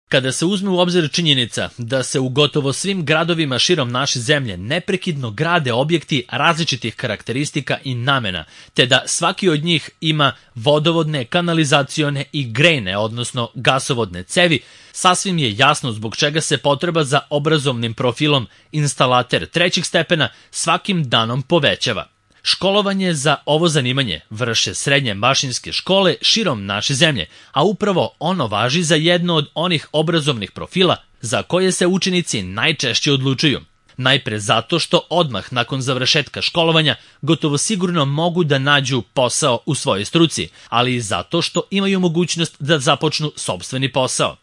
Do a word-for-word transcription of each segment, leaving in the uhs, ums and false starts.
Kada se uzme u obzir činjenica da se u gotovo svim gradovima širom naše zemlje neprekidno grade objekti različitih karakteristika i namena, te da svaki od njih ima vodovodne, kanalizacione i grejne, odnosno gasovodne cevi, sasvim je jasno zbog čega se potreba za obrazovnim profilom instalater trećeg stepena svakim danom povećava. Školovanje za ovo zanimanje vrše srednje mašinske škole širom naše zemlje, a upravo ono važi za jedno od onih obrazovnih profila za koje se učenici najčešće odlučuju. Najpre zato što odmah nakon završetka školovanja gotovo sigurno mogu da nađu posao u svojoj struci, ali i zato što imaju mogućnost da započnu sopstveni posao.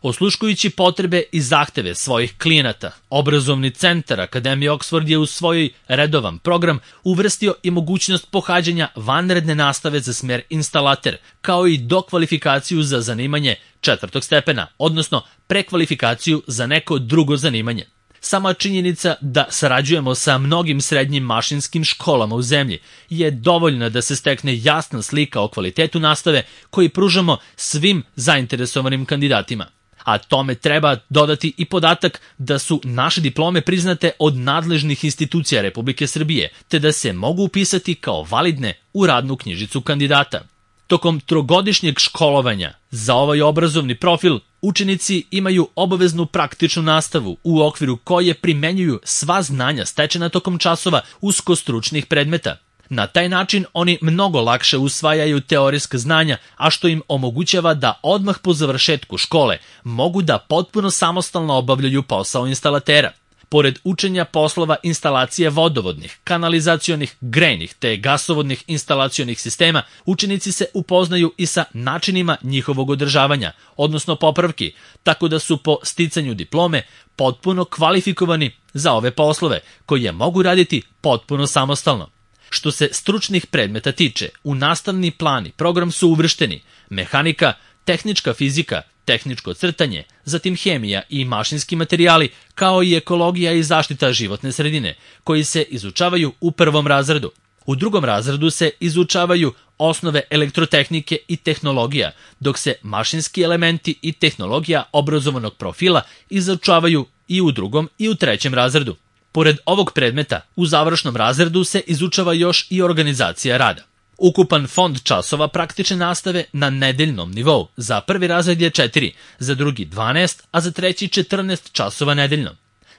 Osluškujući potrebe i zahteve svojih klijenata, obrazovni centar Akademije Oxford je u svoj redovan program uvrstio i mogućnost pohađanja vanredne nastave za smer instalater, kao i dokvalifikaciju za zanimanje četvrtog stepena, odnosno prekvalifikaciju za neko drugo zanimanje. Sama činjenica da sarađujemo sa mnogim srednjim mašinskim školama u zemlji je dovoljna da se stekne jasna slika o kvalitetu nastave koji pružamo svim zainteresovanim kandidatima. A tome treba dodati i podatak da su naše diplome priznate od nadležnih institucija Republike Srbije, te da se mogu upisati kao validne u radnu knjižicu kandidata. Tokom trogodišnjeg školovanja za ovaj obrazovni profil učenici imaju obaveznu praktičnu nastavu u okviru koje primenjuju sva znanja stečena tokom časova uskostručnih predmeta. Na taj način oni mnogo lakše usvajaju teorijska znanja, a što im omogućava da odmah po završetku škole mogu da potpuno samostalno obavljaju posao instalatera. Pored učenja poslova instalacije vodovodnih, kanalizacionih, grejnih te gasovodnih instalacionih sistema, učenici se upoznaju i sa načinima njihovog održavanja, odnosno popravki, tako da su po sticanju diplome potpuno kvalifikovani za ove poslove, koje mogu raditi potpuno samostalno. Što se stručnih predmeta tiče, u nastavni plan i program su uvršteni mehanika, tehnička fizika, tehničko crtanje, zatim hemija i mašinski materijali, kao i ekologija i zaštita životne sredine, koji se izučavaju u prvom razredu. U drugom razredu se izučavaju osnove elektrotehnike i tehnologija, dok se mašinski elementi i tehnologija obrazovanog profila izučavaju i u drugom i u trećem razredu. Pored ovog predmeta, u završnom razredu se izučava još i organizacija rada. Ukupan fond časova praktične nastave na nedeljnom nivou za prvi razred je četiri, za drugi dvanaest, a za treći četrnaest časova nedeljno.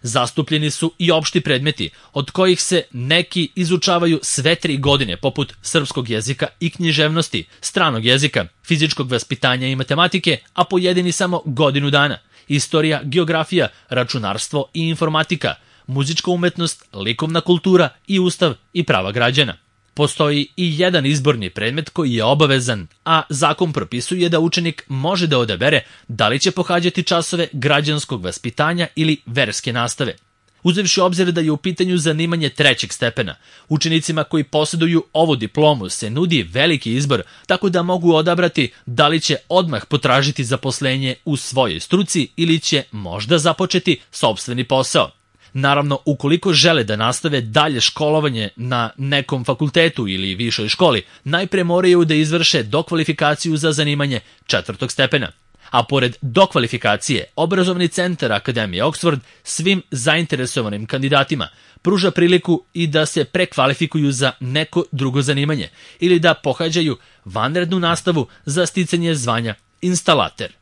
Zastupljeni su i opšti predmeti, od kojih se neki izučavaju sve tri godine, poput srpskog jezika i književnosti, stranog jezika, fizičkog vaspitanja i matematike, a pojedini samo godinu dana, istorija, geografija, računarstvo i informatika, muzička umetnost, likovna kultura i ustav i prava građana. Postoji i jedan izborni predmet koji je obavezan, a zakon propisuje da učenik može da odabere da li će pohađati časove građanskog vaspitanja ili verske nastave. Uzevši obzir da je u pitanju zanimanje trećeg stepena, učenicima koji posjeduju ovu diplomu se nudi veliki izbor, tako da mogu odabrati da li će odmah potražiti zaposlenje u svojoj struci ili će možda započeti sopstveni posao. Naravno, ukoliko žele da nastave dalje školovanje na nekom fakultetu ili višoj školi, najpre moraju da izvrše dokvalifikaciju za zanimanje četvrtog stepena. A pored dokvalifikacije, obrazovni centar Akademije Oxford svim zainteresovanim kandidatima pruža priliku i da se prekvalifikuju za neko drugo zanimanje ili da pohađaju vanrednu nastavu za sticanje zvanja instalater.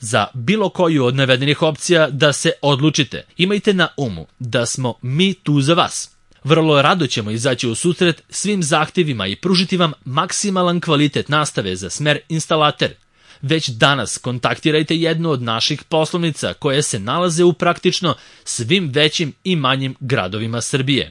Za bilo koju od navedenih opcija da se odlučite, imajte na umu da smo mi tu za vas. Vrlo rado ćemo izaći u susret svim zahtjevima i pružiti vam maksimalan kvalitet nastave za smer instalater. Već danas kontaktirajte jednu od naših poslovnica koje se nalaze u praktično svim većim i manjim gradovima Srbije.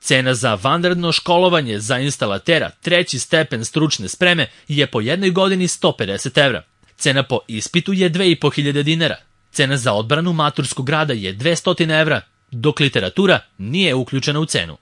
Cena za vanredno školovanje za instalatera treći stepen stručne spreme je po jednoj godini sto pedeset evra. Cena po ispitu je dve i po hiljade dinara. Cena za odbranu maturskog rada je dvesta evra, dok literatura nije uključena u cenu.